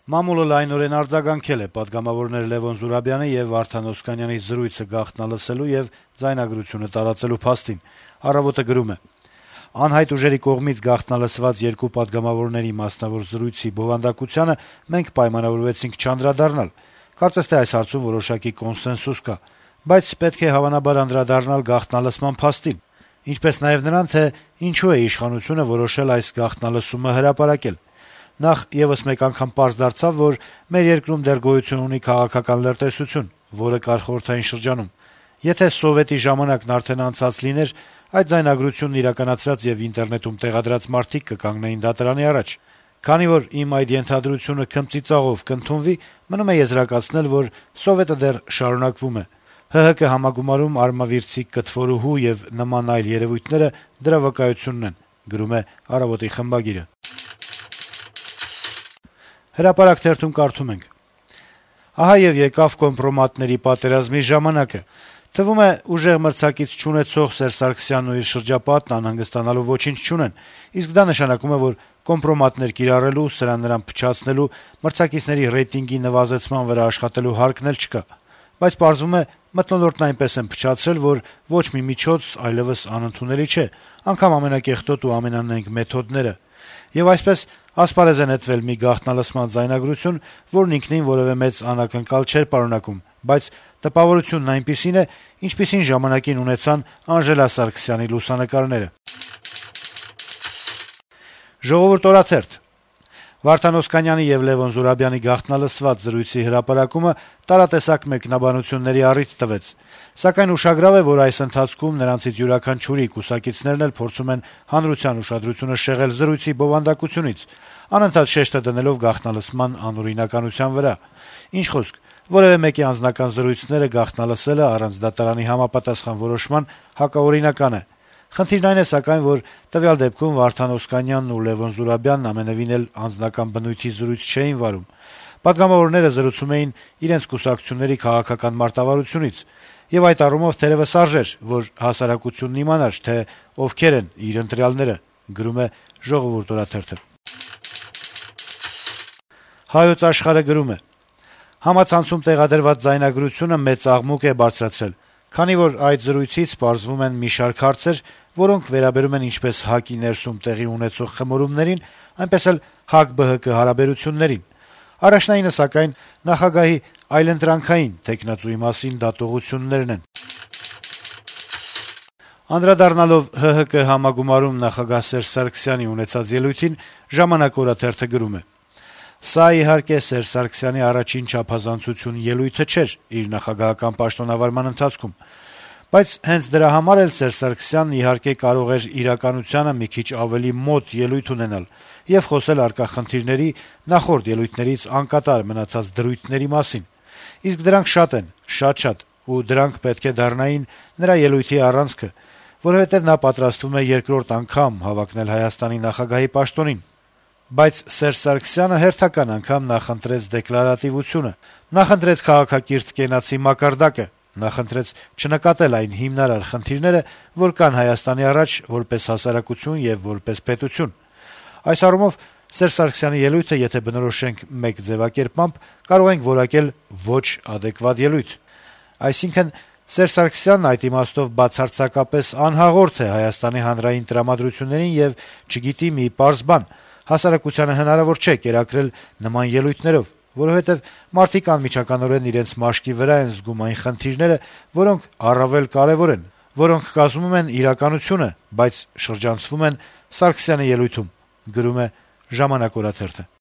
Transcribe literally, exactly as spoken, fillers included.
Մամուլը լայնորեն արձագանքել է պատգամավորներ Լեւոն Զուրաբյանի եւ Վարդան Օսկանյանի զրույցը գաղտնալսելու եւ ձայնագրությունը տարածելու փաստին։ Առավոտը գրում է. «Անհայտ ուժերի կողմից գաղտնալսված երկու պատգամավորների մասնավոր զրույցի բովանդակությանը մենք պայմանավորվեցինք չանդրադառնալ։ Կարծես թե այս հարցում որոշակի կոնսենսուս կա, բայց պետք է հավանաբար անդրադառնալ գաղտնալսման փաստին, ինչպես նաեւ նրան, թե ինչու է իշխանությունը որոշել այս գաղտնալսումը հրապարակել։ Նախ եւս մեկ անգամ պարզ դարձավ, որ մեր երկրում դեռ գոյություն ունի քաղաքական լրտեսություն, որը կար խորհրդային շրջանում։ Եթե սովետի ժամանակն արդեն անցած լիներ, այդ ձայնագրությունն իրականացրած եւ ինտերնետում տեղադրած մարդիկ կկանգնեին դատարանի առաջ։ Քանի որ իմ այդ ենթադրությունը քմծիծաղով կընդունվի, մնում է եզրակացնել, որ սովետը դեռ շարունակվում է։ ՀՀԿ համագումարում արմավիրցիկ կտվորուհու եւ նման այլ երեւույթները դրա վկայությունն են», գրում է «Առավոտ»-ի խմբագիրը։ Հրապարակ թերթում կարդում ենք. - «Ահա եւ եկավ կոմպրոմատների պատերազմի ժամանակը։ Թվում է, ուժեղ մրցակից չունեցող Սերժ Սարգսյանն ու իր շրջապատն անհանգստանալու ոչինչ չունեն, իսկ դա նշանակում է, որ կոմպրոմատներ կիրառելու, սրան նրան փչացնելու, մրցակիցների ռեյտինգի նվազեցման վրա աշխատելու հարկն էլ չկա։ Բայց պարզվում է, մթնոլորտն այնպես են փչացրել, որ ոչ մի միջոց այլեւս անընդունելի չէ, անգամ ամենակեղտոտ ու ամենանենգ մեթոդները։ Եվ այսպես ասպարեզ է նետվել մի գաղտնալսման ձայնագրություն, որն ինքնին որեւէ մեծ անակնկալ չէր պարունակում, բայց տպավորությունն այնպիսին է, ինչպիսին ժամանակին ունեցան Անժելա Սարգսյանի լուսանկարները»։ «Ժողովուրդ» օրաթերթ. - «Վարդան Օսկանյանի եւ Լեւոն Զուրաբյանի գաղտնալսված զրույցի հրապարակումը տարատեսակ մեկնաբանությունների առիթ տվեց, սակայն ուշագրավ է, որ այս ընթացքում նրանցից յուրաքանչյուրի կուսակիցներն էլ փորձում են հանրության ուշադրությունը շեղել զրույցի բովանդակությունից, անընդհատ շեշտը դնելով գաղտնալսման անօրինականության վրա։ Ինչ խոսք, որեւէ մեկի անձնական զրույցները գաղտնալսելը առանց դատարանի համապատասխան որոշման հակաօրինական է։ Խնդիրն այն է, սակայն, որ տվյալ դեպքում Վարդան Օսկանյանն ու Լեւոն Զուրաբյանն ամենեւին էլ անձնական բնույթի զրույց չէին վարում։ Պատգամավորները զրուցում էին իրենց կուսակցությունների քաղաքական մարտավարությունից, եւ այդ առումով թերեւս արժեր, որ հասարակությունն իմանար, թե ովքեր են իր ընտրյալները», գրում է «Ժողովուրդ» օրաթերթը։ «Հայոց Աշխարհ»-ը գրում է. - «Համացանցում տեղադրված ձայնագրությունը մեծ աղմուկ է բարձրացրել, քանի որ այդ զրույցից պարզվում են մի շարք հարցեր, որոնք վերաբերում են ինչպես ՀԱԿ-ի ներսում տեղի ունեցող խմորումներին, այնպես էլ ՀԱԿ-ԲՀԿ հարաբերություններին։ Առաջնայինը, սակայն, նախագահի այլընտրանքային թեկնածուի մասին դատողություններն են»։ Անդրադառնալով ՀՀԿ համագումարում նախագահ Սերժ Սարգսյանի ունեցած ելույթին, «Ժամանակ» օրաթերթը գրում է. - «Սա, իհարկե, Սերժ Սարգսյանի առաջին չափազանցություն ելույթը չէր իր նախագահական պաշտոնավարման ընթացքում, բայց հենց դրա համար էլ Սերժ Սարգսյանն, իհարկե, կարող էր իրականությանը մի քիչ ավելի մոտ ելույթ ունենալ եւ խոսել առկա խնդիրների, նախորդ ելույթներից անկատար մնացած դրույթների մասին։ Իսկ դրանք շատ են, շատ-շատ, ու դրանք պետք է դառնային նրա ելույթի առանցքը, որովհետեւ նա պատրաստվում է երկրորդ անգամ հավակնել Հայաստանի նախագահի պաշտոնին։ Բայց Սերժ Սարգսյանը հերթական անգամ նախընտրեց դեկլարատիվությունը, նախընտրեց քաղաքակիրթ կենացի մակարդակը, նախընտրեց չնկատել այն հիմնարար խնդիրները, որ կան Հայաստանի առաջ որպես հասարակություն եւ որպես պետություն։ Այս առումով Սերժ Սարգսյանի ելույթը, եթե բնորոշենք մեկ ձեւակերպմամբ, կարող ենք որակել ոչ ադեկվատ ելույթ։ Այսինքն Սերժ Սարգսյանն այդ իմաստով բացարձակապես անհաղորդ է Հայաստանի հանրային տրամադրություններին եւ չգիտի մի պարզ բան. հասարակությանը հնարավոր չէ կերակրել նման ելույթներով, որովհետեւ մարդիկ անմիջականորեն իրենց մաշկի վրա են զգում այն խնդիրները, որոնք առավել կարեւոր են, որոնք կազմում են իրականությունը, բայց շրջանցվում են Սարգսյանի ելույթում», գրում է «Ժամանակ» օրաթերթը։